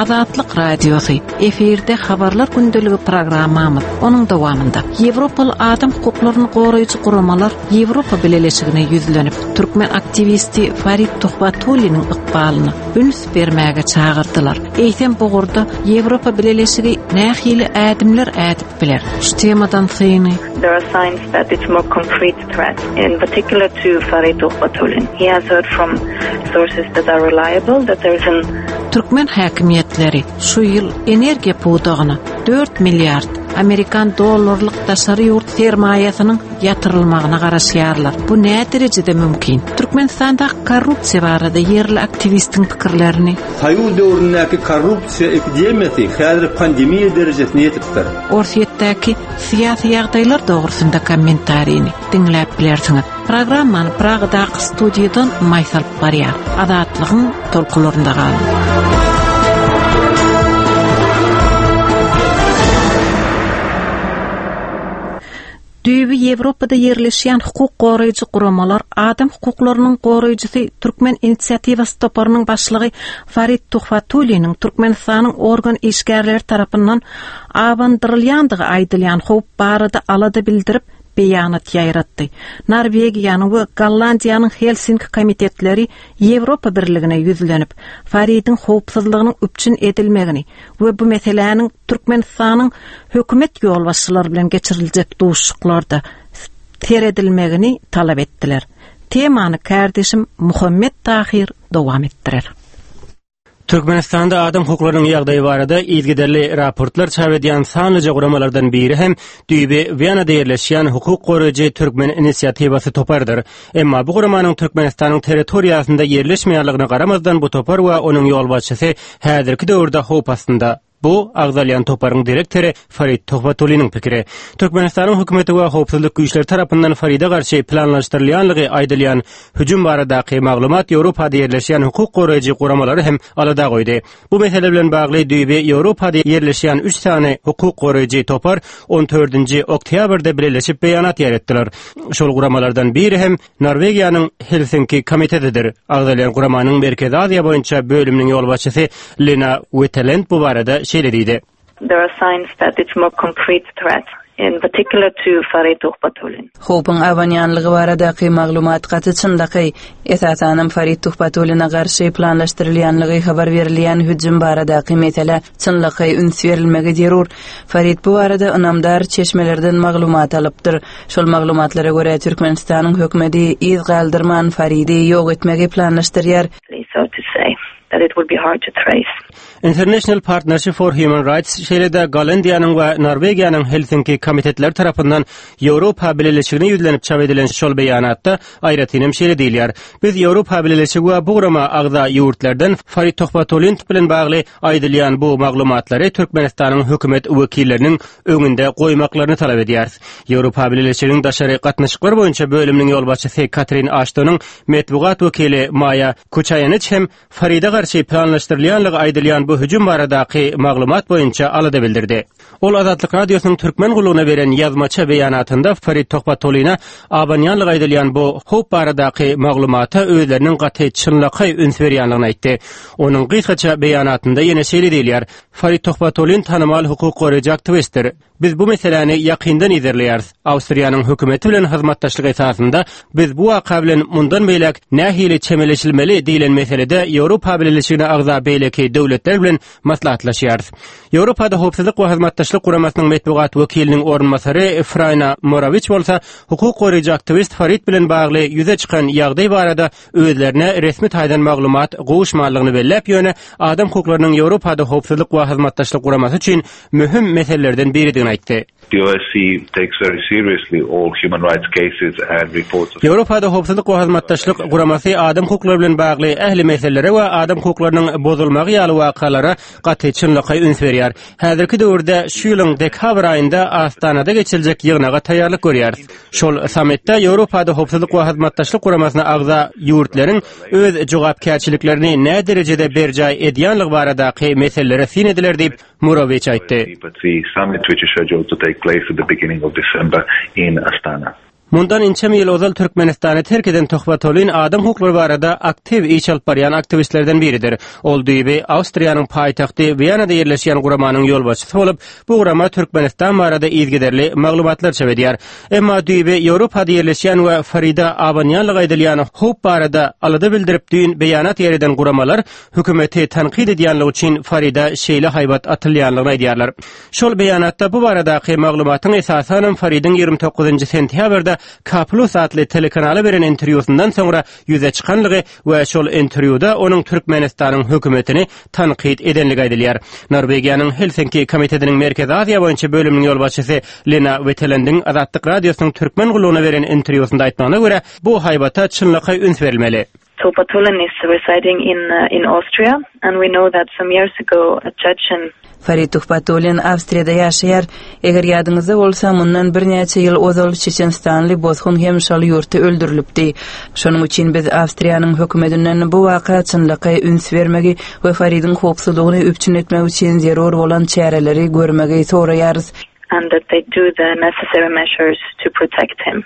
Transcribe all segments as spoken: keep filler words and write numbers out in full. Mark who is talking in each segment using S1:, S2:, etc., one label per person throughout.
S1: Azatlyk Radiosy, efirde Habarlar gündeligi programmamyz. Onuň dowamynda Ýewropaly adam hukuklaryny goraýjy guramalar Ýewropa Bileleşigine ýüzlenip, türkmen aktiwisti Farid Tuhbatulliniň ykbalyna üns bermäge çagyrdylar. Eýsem bu ugurda Ýewropa Bileleşigi nähili ädimler ädip biler? Şu temadan syny
S2: There are signs that it's more concrete threat, in particular to Farid Tuhbatullin. He has heard from sources that are reliable that there is an
S1: Türkmen häkimiýetleri şu ýyl energiýa pudagyna dört milliard amerikan dollarlyk daşary ýurt sermaýasynyň ýatyrylmagyna garaşýarlar. Bu nä derejede mümkin? Türkmenistanda korrupsiýa barada ýerli aktiwistiň pikirlerini
S3: Soýuz döwründäki korrupsiýa epidemiýasy häzir pandemiýa derejesine ýetipdir.
S1: Orsýetdäki syýasy ýagdaýlar dogrusynda kommentarini diňläp bilersiňiz. Programmany Pragadaky studiýadan Maýsa alyp barýar. Azatlygyň tolkunlarynda galyň. Düýbi Ýewropada ýerleşýän hukuk goraýjy guramalar adam hukuklarynyň goraýjysy Türkmen inisiatiwasy toparynyň başlygy Farid Tuhbatulliniň Türkmenistanyň organ işgärleri tarapyndan abandyrylýandygy aýdylýan howp barada alada bildirip beýanat ýaýratdy. Norwegiýanyň we Gollandiýanyň Helsinki komitetleri Ýewropa Birligine ýüzlenip, Faridiň howpsuzlygynyň üpjün edilmegini we bu meseläniň Türkmenistanyň hökümet ýolbaşçylary bilen geçiriljek duşuşyklarda seredilmegini talap etdiler. Temany kardeşim Muhammet Tahir dowam etdirer.
S4: Türkmenistanda adam hukuklarynyň ýagdaýy barada yzygiderli raportlar çap edýän sanlyja guramalardan biri hem düýbi Wenada ýerleşýän hukuk goraýjy Türkmen inisiatiwasy topardyr. Emma bu guramanyň Türkmenistanyň territoriýasynda ýerleşmeýänligine garamazdan bu topar we onuň ýolbaşçysy häzirki döwürde howp astynda. Bu agzalýan toparyň direktory Farid Tuhbatulliniň pikiri. Türkmenistanyň hökümeti we howpsuzlyk güýçleri tarapyndan Faride garşy planlaşdyrylýanlygy aýdylýan hüjüm baradaky maglumat Ýewropada ýerleşýän hukuk goraýjy guramalary hem alada goýdy. Bu mesele bilen bagly düýbi Ýewropada ýerleşýän üç sany hukuk goraýjy topar on dördünji oktýabrda birleşip beýanat ýaýratdylar. Şol guramalardan biri hem Norwegiýanyň Helsinki komitetidir. Agzalýan guramanyň Merkezi Aziýa boýunça bölüminiň ýolbaşçysy Lena Wettelend bu barada şeýle diýdi.
S2: There are signs that it's more concrete threat, in particular to Farid Tuhbatullin.
S5: Howpuň abanýanlygy baradaky maglumat gaty çynlakaý, esasanam Farid Tuhbatulline garşy planlaşdyrylýanlygy habar berilýän hüjüm baradaky mesele çynlakaý üns berilmegi zerur. Farid bu barada ynamdar çeşmelerden maglumat alypdyr. Şol maglumatlara görä Türkmenistanyň hökümeti yz galdyrman Faridi ýok etmegi planlaşdyrýar.
S2: So to say that it would be hard to trace.
S4: International Partnership for Human Rights şeýle-de Gollandiýanyň we Norwegiýanyň Helsinki komitetleri tarapyndan Ýewropa Bileleşigine ýüzlenip çap edilen şol beýanatda aýratynam şeýle diýilýär. Biz Ýewropa Bileleşigi we bu gurama agza ýurtlardan Farid Tuhbatullin bilen bagly aýdylýan bu maglumatlary Türkmenistanyň hökümet wekilleriniň öňünde goýmaklaryny talap edýäris. Ýewropa Bileleşiginiň daşary gatnaşyklar boýunça bölüminiň ýolbaşçysy Katrin Aştonyň metbugat wekili Maýa Kuçaýanyç hem Faride garşy planlaşdyrylýanlygy aýdylýan bu hüjüm baradaky maglumat boýunça alada bildirdi. Ol Azatlyk Radiosynyň Türkmen gullugyna beren ýazmaça beýanatynda Farid Tuhbatullina abanýanlygy aýdylýan bu howp baradaky maglumata özleriniň gaty çynlakaý üns berýänligini aýtdy. Onuň gysgaça beýanatynda ýene şeýle diýilýär: Farid Tuhbatullin tanymal hukuk goraýjy aktiwistdir. Biz bu meseläni ýakyndan izerleýäris. Awstriýanyň hökümeti bilen hyzmatdaşlyk esasynda biz bu waka bilen mundan beýläk nähili çemeleşilmeli diýlen meselede Ýewropa Bileleşigine agza beýleki döwletler bilen maslahatlaşýarys. Ýewropada howpsuzlyk we hyzmatdaşlyk guramasynyň metbugat wekiliniň orunbasary Frayna Morawiç bolsa hukuk goraýjy aktiwist Farid bilen bagly ýüze çykan ýagdaý barada özlerine resmi taýdan maglumat gowuşmanlygyny belläp, ýöne adam hukuklarynyň Ýewropada howpsuzlyk we hyzmatdaşlyk guramasy üçin möhüm meselelerden biridigini aýtdy.
S6: The O S C takes very seriously all human rights cases and reports of
S4: Ýewropada howpsuzlyk we hyzmatdaşlyk guramasy adam hukuklary bilen bagly ähli meselelere we adam hukuklarynyň bozulmagy ýaly wakalara gaty çynlakaý üns berýär. Häzirki döwürde şu ýylyň dekabr aýynda Astanada geçiriljek ýygnaga taýýarlyk görýäris. Şol sammitde Ýewropada howpsuzlyk we hyzmatdaşlyk guramasyna agza ýurtlaryň öz jogapkärçiliklerini nä derejede berjaý edýänligi baradaky meselelere syn ediler diýip Murowiç aýtdy.
S6: The summit which is scheduled to take place at the beginning of December in Astana.
S4: Mundan ençeme ýyl ozal Türkmenistany terk eden Tuhbatullin adam hukuklary barada aktiw iş alyp barýan aktiwistlerden biridir. Ol düýbi Awstriýanyň paýtagty Wiýanada ýerleşýän guramanyň ýolbaşçysy bolup, bu gurama Türkmenistan barada yzygiderli maglumatlar çap edýär. Emma düýbi Ýewropada ýerleşýän we Farida abanýanlygy aýdylýan howp barada alada bildirip düýn beýanat ýereden guramalar hökümeti tankyt edýänligi üçin Farida şeýle haýbat atylýanlygyny aýdýarlar. Şol beýanatda bu baradaky maglumatyň esasanam Faridiň ýigrimi dokuzynjy sentýabrda K Plus atly telekanala beren interwýusyndan soňra ýüze çykanlygy we şol interwýuda onuň Türkmenistanyň hökümetini tankyt edenligi aýdylýar. Norwegiýanyň Helsinki komitetiniň Merkezi Aziýa boýunça bölüminiň ýolbaşçysy Lena Wetelendiň Azatlyk Radiosynyň türkmen gullugyna beren interwýusynda aýtmagyna görä, bu haýbata çynlakaý üns berilmeli.
S2: Tuhbatullin is residing in, uh, in Austria, and we know that some years ago a Chechen
S5: Farid Tuhbatullin Awstriýada ýaşaýar. Eger ýadyňyzda bolsa, mundan birnäçe ýyl ozal Çeçenistanly bosgun hem şol ýurtda öldürilipdi. Şonuň üçin biz Awstriýanyň hökümetinden bu waka çynlakaý üns bermegi we Faridiň howpsuzlygyny üpjün etmek üçin zerur bolan çäreleri görmegi soraýarys.
S2: and that they do the necessary measures to protect him.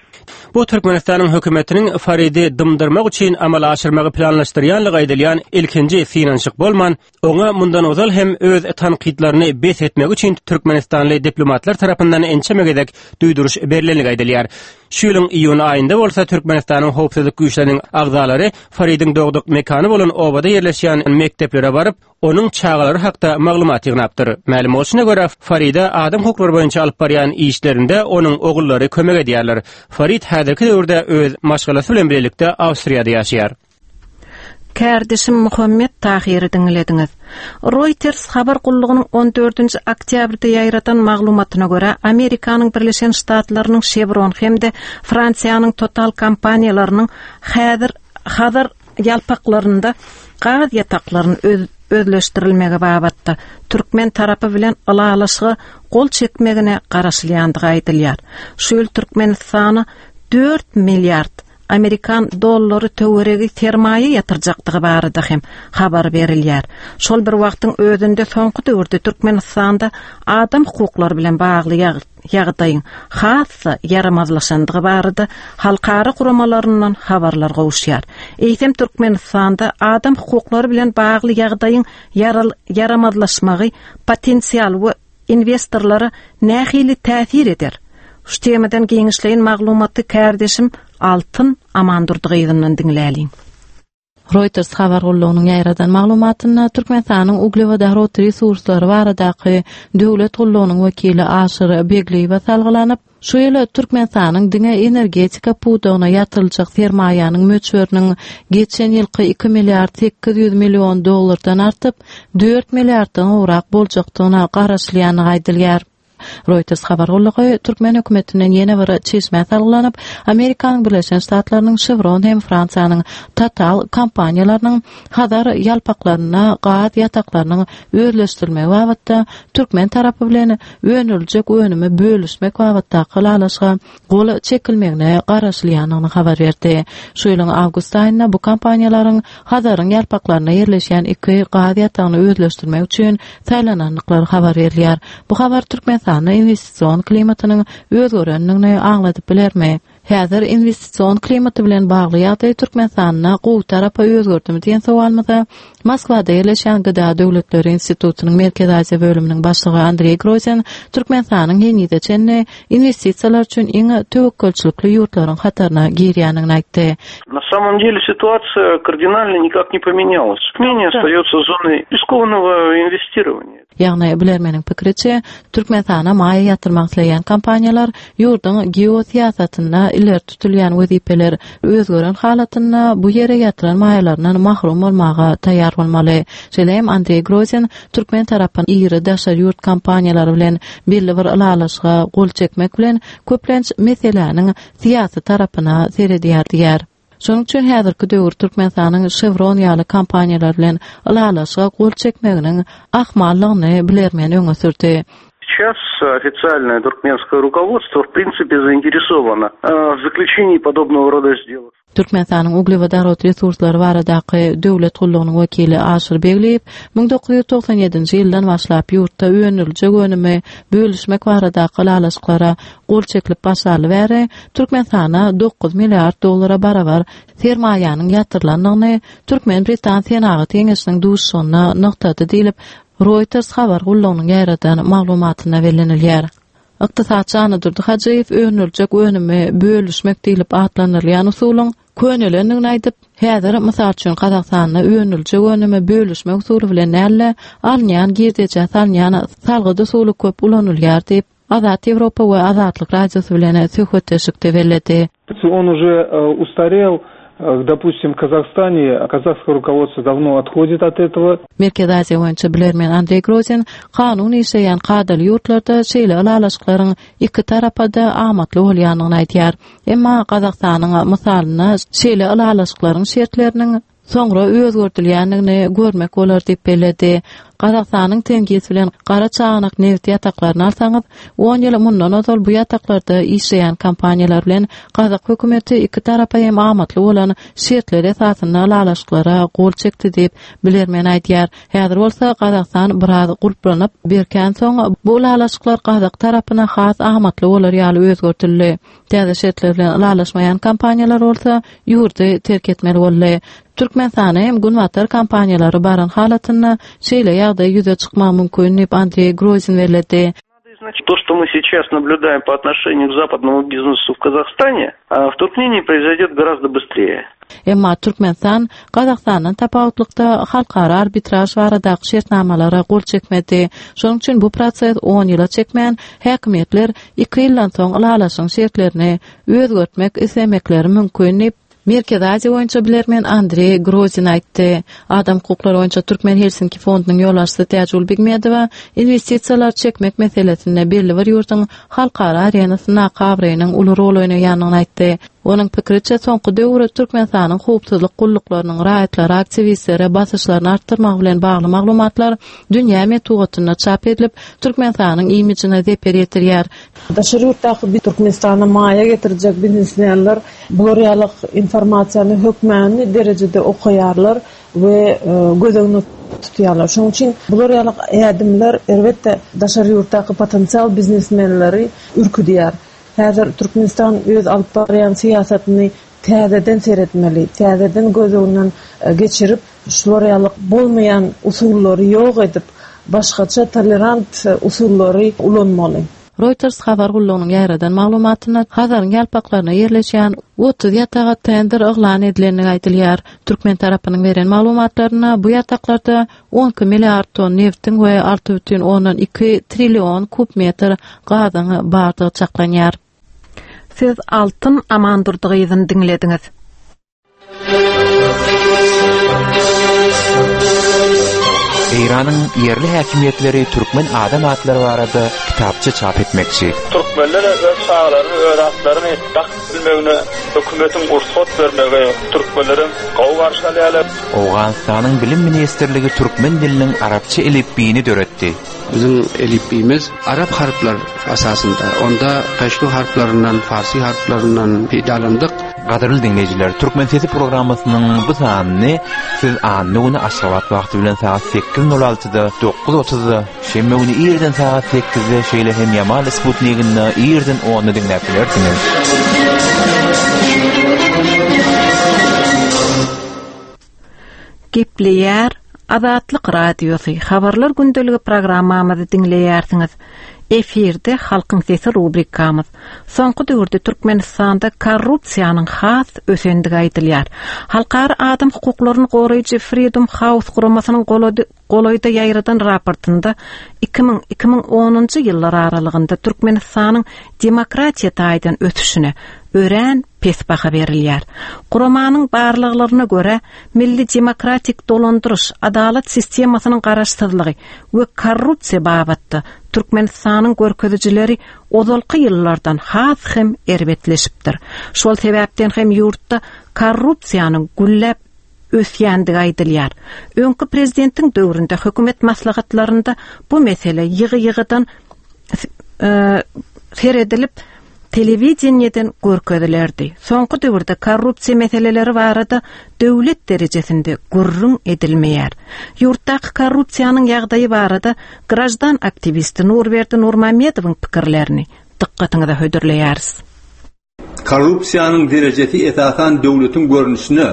S4: Bu Türkmenistanyň hökümetiniň Faridi dymdyrmak üçin amala aşyrmagy planlaşdyrýanlygy aýdylýan ilkinji synanyşyk bolman, oňa mundan ozal hem öz tankytlaryny bes etmek üçin Türkmenistanly diplomatlar tarapyndan ençeme gezek duýduryş berlenligi aýdylýar. Şu ýylyň iýun aýynda bolsa Türkmenistanyň howpsuzlyk güýçleriniň agzalary Faridiň dogduk mekany bolan obada ýerleşýän mekdeplere baryp, onuň çagalary hakda maglumat ýygnapdyr. Mälim bolşuna görä, Farida adam hukuklary boýunça alyp barýan işlerinde onuň ogullary kömek edýärler. Farid häzirki döwürde öz maşgalasy bilen birlikde Awstriýada ýaşaýar.
S1: Kärdeşim Muhammet Tahiri diňlediňiz. Reuters habar gullugynyň on dördünji oktýabrda ýaýradan maglumatyna görä, Amerikanyň Birleşen Ştatlarynyň Chevron hem-de Fransiýanyň Total kompaniýalarynyň häzir Hazar ýalpaklarynda gaz ýataklaryny öz-, özleşdirilmegi babatda türkmen tarapy bilen ylalaşyga gol çekmegine garaşylýandygy aýdylýar. Şu ýyl Türkmenistana dört milliard Amerikan dollary töweregi sermaýa ýatyrjakdygy barada hem habar berilýär. Şol bir wagtyň özünde soňky döwürde Türkmenistanda adam hukuklary bilen bagly ýag-, ýagdaýyň has-da ýaramazlaşandygy barada halkara guramalaryndan habarlar gowuşýar. Eýsem Türkmenistanda adam hukuklary bilen bagly ýagdaýyň ýaral-, ýaramazlaşmagy potensial we investorlara nähili täsir eder? Şu temadan giňişleýin maglumaty kärdeşim Altyn Amandurdy gyzyndan diňläliň.
S7: Reuters habar gullugynyň ýaýradan maglumatynda Türkmenistanyň uglewodorod resurslary baradaky döwlet gullugynyň wekili Aşyr Begliýewe salgylanyp, şu ýyl Türkmenistanyň diňe energetika pudagyna ýatyryljak sermaýanyň möçberiniň geçen ýylky iki milliard sekiz ýüz million dollardan artyp, dört milliarddan gowrak boljakdygyna garaşylýandygy aýdylýar. Reuters habar gullugy Türkmen hökümetinden ýene bir çeşmä salgylanyp, Amerikanyň Birleşen Ştatlarynyň Chevron hem Fransiýanyň Total kompaniýalarynyň Hazar ýalpaklaryna gaz ýataklarynyň özleşdirilmegi babatda Türkmen tarapy bilen öndüriljek önümi bölüşmek babatdaky ylalaşyga gol çekilmegine garaşylýandygyny habar berdi. Şu ýylyň awgust aýynda bu kompaniýalaryň Hazaryň ýalpaklaryna ýerleşýän iki gaz ýatagyny özleşdirmek üçin saýlanandyklary habar berilýär. Bu habar Türkmenistanda investision klimatynyň özgerendigini aňladyp bilermi? Häzir investision klimaty bilen bagly ýagdaý Türkmenistanda gowy tarapa özgerdimi diýen sowalymyza Moskwada ýerleşýän Gıda Döwletleri Institutynyň Merkezi Aziýa bölüminiň başlygy Andreý Grozin Türkmenistanyň henize çenli investisiýalar üçin iň töwekgelçilikli ýurtlaryň hataryna girýändigini aýtdy.
S8: На самом деле ситуация кардинально никак не поменялась. Мнение остается зоной рискованного инвестирования.
S7: Ýagny bilermeniň pikiriçe, Türkmenistana maýa ýatyrmak isleýän kompaniýalar ýurduň geosyýasatynda ileri tutulýan wezipeler özgeren halatynda bu ýere ýatyran maýalaryndan mahrum bolmaga taýýar bolmaly. Şeýle hem Andreý Grozin türkmen tarapyny iri daşary ýurt kompaniýalary bilen belli bir ylalaşyga gol çekmek bilen köplenç meseläniň syýasy tarapyna seredýär diýär. Şonuň üçin häzirki döwür Türkmenistanyň Chevron ýaly kompaniýalar bilen ylalaşyga gol çekmeginiň ahmallygyny bilermen öňe sürdi.
S8: Сейчас официальное туркменское руководство в принципе заинтересовано в заключении подобного рода сделок.
S7: Türkmenistanyň uglewodorod resurslary baradaky döwlet gullugynyň wekili Aşyr Begliýew müň dokuz ýüz togsan ýedinji ýyldan başlap ýurtda öndüriljek önümi bölüşmek baradaky ylalaşyklara gol çekilip başlaly bäri Türkmenistana dokuz milliard dollara barabar sermaýanyň ýatyrylandygyny Türkmen-Britan Senagat Geňeşiniň duşuşygyna nygtady diýlip Reuters habar gullugynyň ýaýradan maglumatyna bellenilýär. Ykdysatçy Anadurdy Hajyýew öndüriljek önümi bölüşmek diýlip atlandyrylýan usulyň könelendigini aýdyp, häzir mysal üçin Gazagystanda öndüriljek önümi bölüşmek usuly bilen näle alynýan girdeje salynýan salgyt usuly köp ulanylýar diýip, Azat Ýewropa we Azatlyk radiosy bilen söhbetdeşlikde belledi.
S9: Он уже устарел. Допустим, в Казахстане казахское руководство давно отходит от этого.
S7: Merkezi Aziýa boýunça bilermen Andrey Grozin kanun işleýän kadaly ýurtlarda şeýle ylalaşyklaryň iki tarapa-da amatly bolýandygyny aýdýar. Emma Gazagystanyň mysalynda şeýle ylalaşyklaryň şertleriniň soňra özgertilýändigini görmek bolar diýip belledi. Gazagystanyň Tengiz bilen Gara Çaganak neft ýataklaryny alsaňyz, on ýyl mundan ozal bu ýataklarda işleýän kompaniýalar bilen Gazak hökümeti iki tarapa hem amatly bolan şertler esasynda ylalaşyklara gol çekdi diýip bilermen aýdýar. Häzir bolsa Gazagystan biraz gulplanyp berkän soň bu ylalaşyklar Gazak tarapyna has amatly bolar ýaly özgertildi. Täze şertler bilen ylalaşmaýan kompaniýalar bolsa ýurdy terk etmeli boldy. Türkmenistana hem Günbatar kompaniýalary baran halatynda şeýle ýagdaý ýüze çykmagy mümkin diýip Andrey Grozin belledi.
S8: Значит, то, что мы сейчас наблюдаем по отношению к западному бизнесу в Казахстане, в Туркмении произойдет гораздо быстрее.
S7: Emma Türkmenistan Gazagystandan tapawutlykda halkara arbitraj baradaky şertnamalara gol çekmedi. Şonuň üçin bu proses on ýyla çekmän, häkimiýetler iki ýyldan soň ylalaşyň şertlerini özgertmek islemekleri mümkin diýip Merkezi Aziýa boýunça bilermen Andrey Grozin aýtdy. Adam hukuklary boýunça Türkmen Helsinki fondunyň ýolbaşçysy Täjigül Begmedowa investisiýalar çekmek meselesinde belli bir ýurduň halkara arenasynda abraýynyň uly rol oýnaýandygyny aýtdy. Onuň pikiriçe soňky döwür Türkmenistanyň howpsuzlyk gulluklarynyň raýatlary aktiwistlere basyşlaryny artdyrmak bilen bagly maglumatlar dünýä metbugatynda çap edilip, Türkmenistanyň imijine zeper ýetirýär.
S10: Daşary ýurtdaky Türkmenistana maýa getirjek biznesmenler bular ýaly informasiýany hökmany derejede okaýarlar we göz öňünde tutýarlar. Şonuň üçin bular ýaly ädimler elbetde daşary ýurtdaky potensial biznesmenleri ürküdýär. Häzir Türkmenistan öz alyp barýan syýasatyny täzeden seretmeli, täzeden göz öňünden geçirip, şular ýaly bolmaýan usullary ýok edip, başgaça tolerant usullary ulanmaly.
S7: Reuters habar gullugynyň ýaýradan maglumatyna Hazaryň ýalpaklaryna ýerleşýän otuz ýataga tender yglan edilendigi aýdylýar. Türkmen tarapynyň beren maglumatlaryna bu ýataklarda on iki milliard ton neftiň we alty bütin ondan iki trillion kub metr gazyň bardygy çaklanýar.
S1: Siz Altyn Amandurdygyzyny diňlediňiz.
S11: Eýranyň ýerli häkimiýetleri türkmen adam atlary barada kitapça çap etmekçi.
S12: Türkmenler öz çagalaryny, öz atlaryny dakyp bilmegine hökümetiň rugsat bermegi türkmenleriň gowy garşy alýarlar.
S11: Owganystanyň Bilim Ministrligi türkmen diliniň arapça elipbiýini döretdi.
S13: Bizim elipbiýimiz arap harplar esasynda, onda peştu harplaryndan, farsi harplaryndan peýdalandyk.
S11: Gadyrly dinleýjiler, Türkmen Sesi programmasynyň bu sanyny siz anna güni Aşgabat wagty bilen saat sekiz nol altyda, dokuz otuzda, şenbe güni irden saat sekizde, şeýle hem Ýamal Sputnikinde irden onda diňläp bilersiňiz.
S1: Gepleýär Azatlyk Radiosy habarlar gündeligi programmamyzy diňleýärsiňiz. Efirde Halkyň Sesi rubrikamyz. Soňky döwürde Türkmenistanda korrupsiýanyň has ösendigi aýdylýar. Halkara adam hukuklaryny goraýjy Freedom House guramasynyň golaýda ýaýradan raportynda iki müň iki müň onunjy ýyllar aralygynda Türkmenistanyň demokratiýa taýdan ösüşine örän pes baha berilýär. Guramanyň barlyklaryna görä milli demokratik dolandyryş, adalat sistemasynyň garaşsyzlygy we korrupsiýa babatda Türkmenistanyň görkezijileri ozalky ýyllardan has hem erbetleşipdir. Şol sebäpden hem ýurtda korrupsiýanyň gülläp ösýändigi aýdylýar. Öňki prezidentiň döwründe hökümet maslahatlarynda bu mesele ýygy-ýygydan e, seredilip telewideniýeden görkezilerdi. Soňky döwürde korrupsiýa meseleleri barada döwlet derejesinde gürrüň edilmeýär. Ýurtdaky korrupsiýanyň ýagdaýy barada grajdan aktiwisti Nurberdi Nurmamedowyň pikirlerini dykgatyňyza hödürleýäris.
S3: Korrupsiýanyň derejesi esasan döwletiň görnüşine,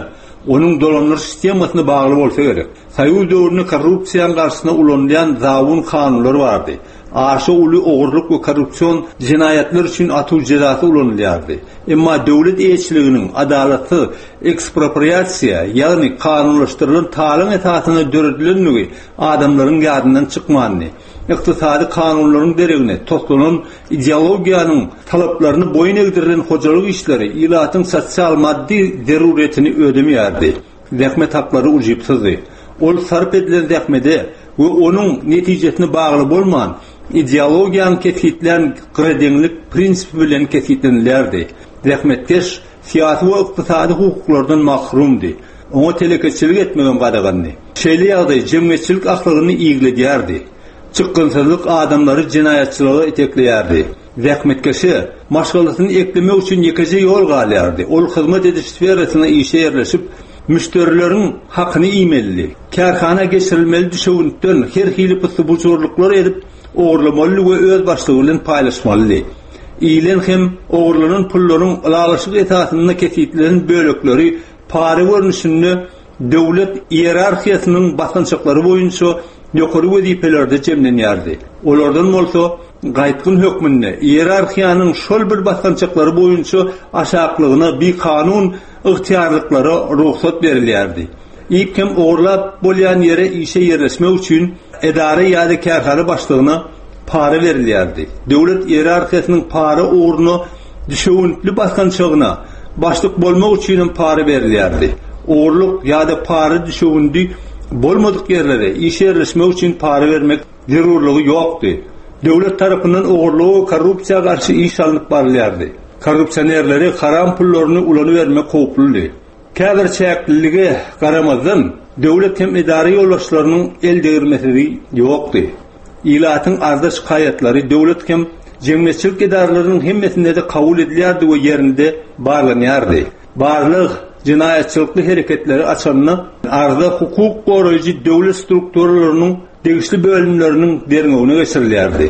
S3: onuň dolandyryş sistemasyna bagly bolsa gerek. Soýuz döwründe korrupsiýanyň garşysyna ulanylýan zabun kanunlar bardy. Aşa uly ogurlyk we korrupsion jenaýatlar üçin atuw jezasy ulanylýardy. Emma döwlet eýeçiliginiň adalatsyz ekspropriasiýa, ýagny kanunlaşdyrylan talaň esasynda döredilenligi adamlaryň ýadyndan çykmandy. Ykdysady kanunlaryň deregine toslanan ideologiýanyň talaplaryny boýun egdirilen hojalyk işleri ilatyň sosial maddy zeruriyetini ödemeýärdi. Zähmet haklary ujypsyzdy. Ol sarp edilen zähmede we onuň netijesine bagly bolman, ideologiýanyň kesgitlän gyradeňlik prinsipi bilen kesgitlenilýärdi. Zähmetkeş syýasy we ykdysady hukuklardan mahrumdy. Oňa telekeçilik etmegem gadagandy. Şeýle ýagdaý jemgyýetçilik ahlagyny igledýärdi. Çykgynsyzlyk adamlary jenaýatçylyga itekleýärdi. Zähmetkeşe maşgalasyny eklemek üçin ýekeje ýol galýardy. Ol hyzmat ediş sferasyna işe ýerleşip, müşderileriň hakyny iýmelidi. Kärhana geçirilmeli düşewüntden her hili pyssy-bujurlyklar edip ogurlamaly we öz başlygy bilen paýlaşmalydy. Iýilen hem ogurlanan pullaryň ylalaşyk esasynda kesitlenen bölekleri para görnüşinde döwlet iýerarhiýasynyň basgançaklary boýunça ýokary wezipelerde jemlenýärdi. Olardan bolsa gaýtgyn hökmünde iýerarhiýanyň şol bir basgançaklary boýunça aşaklygyna bikanun ygtyýarlyklara rugsat berilýärdi. Iýip hem ogurlap bolýan ýere işe ýerleşmek üçin edara ýa-da kärhana başlygyna para berilýärdi. Döwlet iýerarhiýasynyň para ugruna düşewüntli basgançagyna başlyk bolmak üçin hem para berilýärdi. Ogurlyk ýa-da para düşewündi bolmadyk ýerlere işe ýerleşmek üçin para bermek zerurlygy ýokdy. Döwlet tarapyndan ogurlyga we korrupsiýa garşy iş alnyp barylýardy. Korrupsionerleri haram pullaryny ulanybermek howpludy. Käbir çäklilige garamazdan döwlet hem edara ýolbaşçylarynyň el degirmesi ýokdy. Ilatyň arza şikaýatlary döwlet hem jemgyýetçilik edaralarynyň hemmesinde de kabul edilýärdi we ýerinde barlanýardy. Barlyk jenaýatçylykly hereketleri açanda arza hukuk goraýjy döwlet strukturalarynyň degişli bölümleriniň derňewine geçirilýärdi.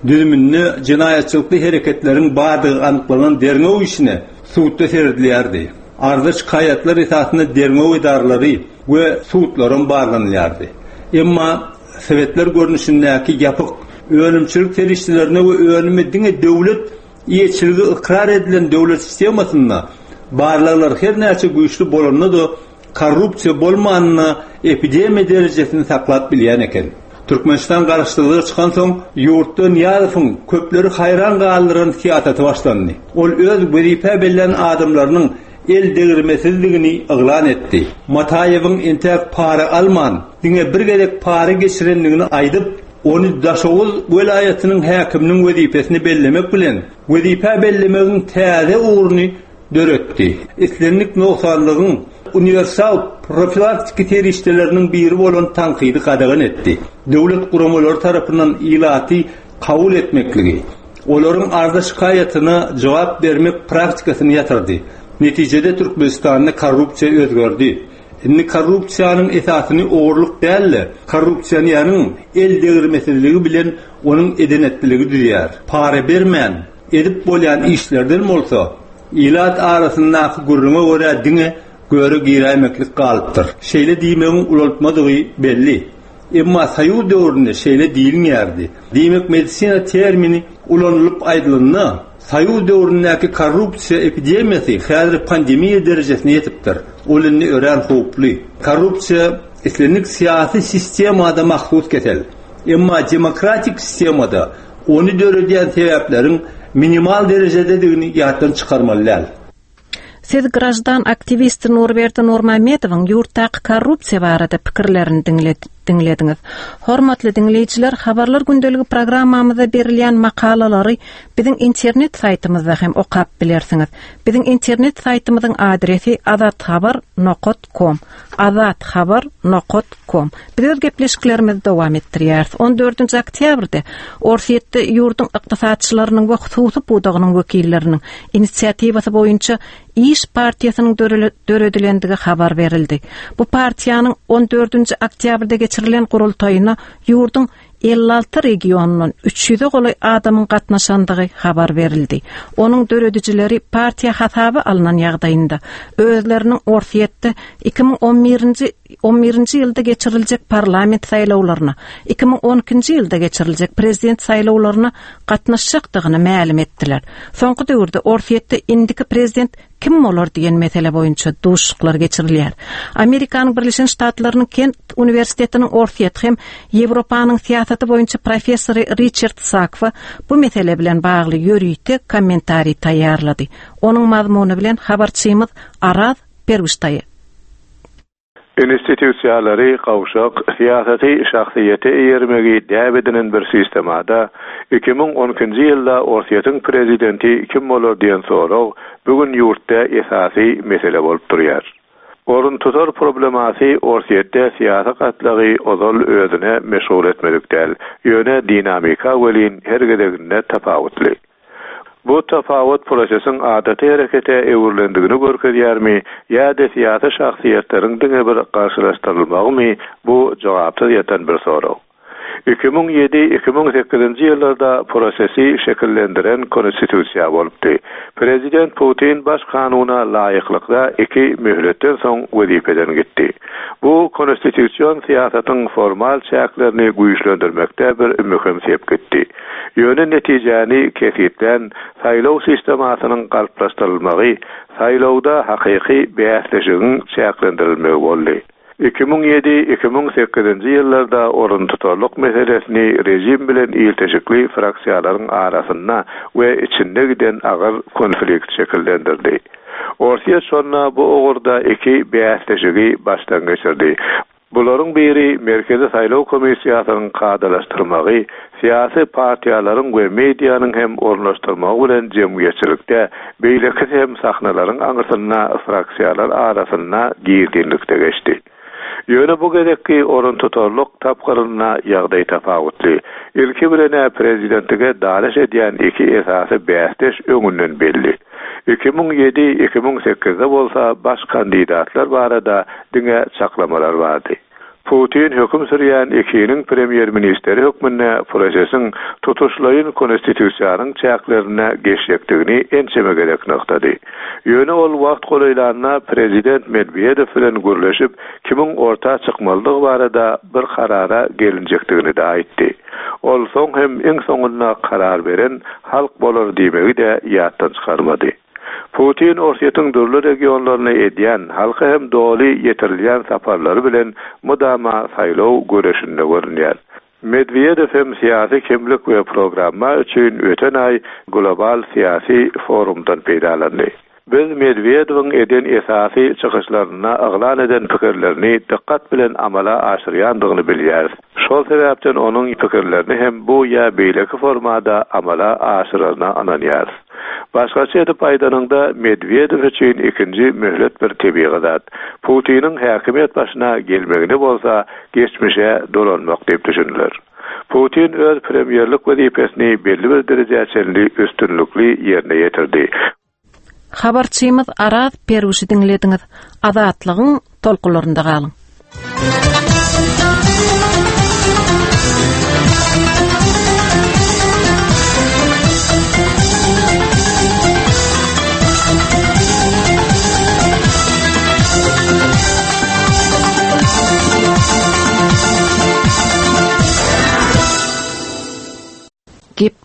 S3: Düzüminde jenaýatçylykly hereketleriň bardygy anyklanan derňew işine sudda seredilýärdi. Arza şikaýatlar esasynda derňew edaralary we sudlaram barlanylýardy. Emma sebetler görnüşindäki ýapyk önümçilik serişdelerine we önümi diňe döwlet eýeçiligi ykrar edilen döwlet sistemasynda barlaglar her näçe güýçli bolanda-da korrupsiýa bolmanyna epidemiýa derejesini saklap bilýän eken. Türkmenistan garaşsyzlyga çykan soň ýurtda Nyýazowyň köpleri haýran galdyran syýasaty başlandy. Ol öz wezipe bellän adamlarynyň el degirmesizligini yglan etdi. Mataýewiň entäk para alman, diňe bir gezek para geçirendigini aýdyp, ony Daşoguz welaýatynyň häkiminiň wezipesini bellemek bilen wezipe bellemegiň täze ugruny döretdi. Islendik nogsanlygyň uniwersal profilaktiki serişdeleriniň biri bolan tankydy gadagan etdi. Döwlet guramalary tarapyndan ilaty kabul etmekligi, olaryň arza şikaýatyna jogap bermek praktikasyny ýatyrdy. Netijede Türkmenistanda korrupsiýa özgerdi. Indi korrupsiýanyň esasyny ogurlyk däl-de, korrupsiýanyň el degirmesizligi bilen onuň edenetliligi düzýär. Para bermän edip bolýan işlerden bolsa, ilat arasyndaky gürrüňe görä diňe göre giräýmeklik galypdyr. Şeýle diýmegiň ulaltmadygy belli. Emma Soýuz döwründe şeýle diýilmeýärdi. Diýmek medisina termini ulanylyp aýdylanda, Soýuz döwründäki korrupsiýa epidemiýasy häzir pandemiýa derejesine ýetipdir. Ol indi örän howply. Korrupsiýa islendik syýasy sistemada mahsus kesel. Emma demokratik sistemada ony döredýän sebäpleriň minimal derejededigini ýatdan çykarmaly däl.
S1: Siz grajdan aktiwisti Nurberdi Nurmamedowyň ýurtdaky korrupsiýa barada pikirlerini Diňlediňiz. Hormatly diňleýjiler, habarlar gündeligi programmamyzda berilýän makalalary biziň internet saýtymyzda hem okap bilersiňiz. Biziň internet saýtymyzyň adresi azathabar nokta com, azathabar nokta com. Biz öz gepleşiklerimizi dowam etdirýäris. on dördünji oktýabrda Orsýetde ýurduň ykdysatçylarynyň we hususy pudagynyň wekilleriniň inisiatiwasy boýunça iş partiýasynyň döredilendigi habar berildi. Bu partiýanyň on dördünji oktýabrda geçirilen gurultaýyna ýurduň elli alty regionundan üç ýüze golaý adamyň gatnaşandygy habar berildi. Onuň döredijileri partiýa hasaba alynan ýagdaýynda özleriniň Orsýetde iki müň on birinji on birinji ýylda geçiriljek parlament saýlawlaryna, iki müň on ikinji ýylda geçiriljek prezident saýlawlaryna gatnaşjakdygyny mälim etdiler. Soňky döwürde Orsýetde indiki prezident kim bolar diýen mesele boýunça duşuşyklar geçirilýär. Amerikanyň Birleşen Ştatlarynyň Kent Uniwersitetiniň Orsýet hem Ýewropanyň syýasaty boýunça professory Richard Sakwa bu mesele bilen bagly ýörite kommentariý taýýarlady. Onuň mazmuny bilen habarçymyz Araz Perwiştaýy.
S6: Institusiýalary gawşak, syýasaty şahsyýete eýermegi däp edinen bir sistemada iki müň on ikinji ýylda Orsýetiň prezidenti kim bolar diýen sorag bugün ýurtda esasy mesele bolup durýar. Orun tutar problemasy Orsýetde syýasy gatlagy ozal özüne meşgul etmedik däl, ýöne dinamika welin her gezeginde tapawutly. Bu tapawut prosesiň adaty herekete öwrülendigini görkezýärmi ýa-da syýasy şahsyýetleriň diňe bir garşylaşdyrylmagymy, bu jogapsyz ýatan bir sorag. iki müň ýedi-iki müň sekizinji ýyllarda prosesi şekillendiren konstitusiýa bolupdy. Prezident Putin baş kanuna laýyklykda iki möhletden soň wezipeden gitdi. Bu konstitusion syýasatyň formal çäklerini güýçlendirmekde bir möhüm sepgitdi. Ýöne netijäni kesgitlän saýlaw sistemasynyň galplaşdyrylmagy, saýlawda hakyky bäsleşigiň çäklendirilmegi boldy. iki müň ýedi-iki müň sekizinji ýyllarda orun tutarlyk meselesini rejim bilen ilteşikli fraksiýalaryň arasynda we içinde giden agyr konflikt şekillendirdi. Orsýet şonda bu ugurda iki bäsleşigi başdan geçirdi. Bularyň biri Merkezi Saýlaw Komissiýasynyň kadalaşdyrmagy, syýasy partiýalaryň we medianyň hem ornaşdyrmagy bilen jemgyýetçilikde, beýlekisi hem sahnalaryň aňyrsynda fraksiýalar arasynda gizlinlikde geçdi. Ýöne bu gezekki orun tutarlyk tapgyrynda ýagdaý tapawutly. Ilki bilen prezidentlige dalaş edýän iki esasy bäsdeş öňünden belli. iki müň ýedi-iki müň sekizde bolsa baş kandidatlar barada diňe çaklamalar bardy. Putin höküm sürýän ikiniň premýer-ministri hökmünde prosesiň tutuşlaýyn konstitusiýanyň çäklerine geçjekdigini ençeme gezek nygtady. Ýöne ol wagt golaýlanda prezident Medwedew bilen gürleşip, kimiň orta çykmalydygy barada bir karara gelinjekdigini de aýtdy. Ol soň hem iň soňunda karar beren halk bolar diýmegi de ýatdan çykarmady. Putin Orsýetiň dürli regionlaryna edýän, halka hem doly ýetirilýän saparlary bilen mudama saýlaw göreşinde görünýär. Medwedew hem syýasy kimlik we programma üçin öten aý global syýasy forumdan peýdalandy. Biz Medwedewiň eden esasy çykyşlarynda yglan eden pikirlerini dikkat bilen amala aşyrýandygyny bilýäris. Şol sebäpden onuň pikirlerini hem bu ýa beýleki formada amala aşyraryna ynanýarys. Başgaça edip aýdanyňda Medwedew üçin ikinji möhlet bir tebigy zat. Putiniň häkimiýet başyna gelmegini bolsa geçmişe dolanmak diýip düşündiler. Putin öz premýerlik wezipesini belli bir derejä çenli üstünlikli ýerine ýetirdi.
S1: Habarçymyz Araz Perwişi diňlediňiz. Azatlygyň tolkunlarynda galyň. Gep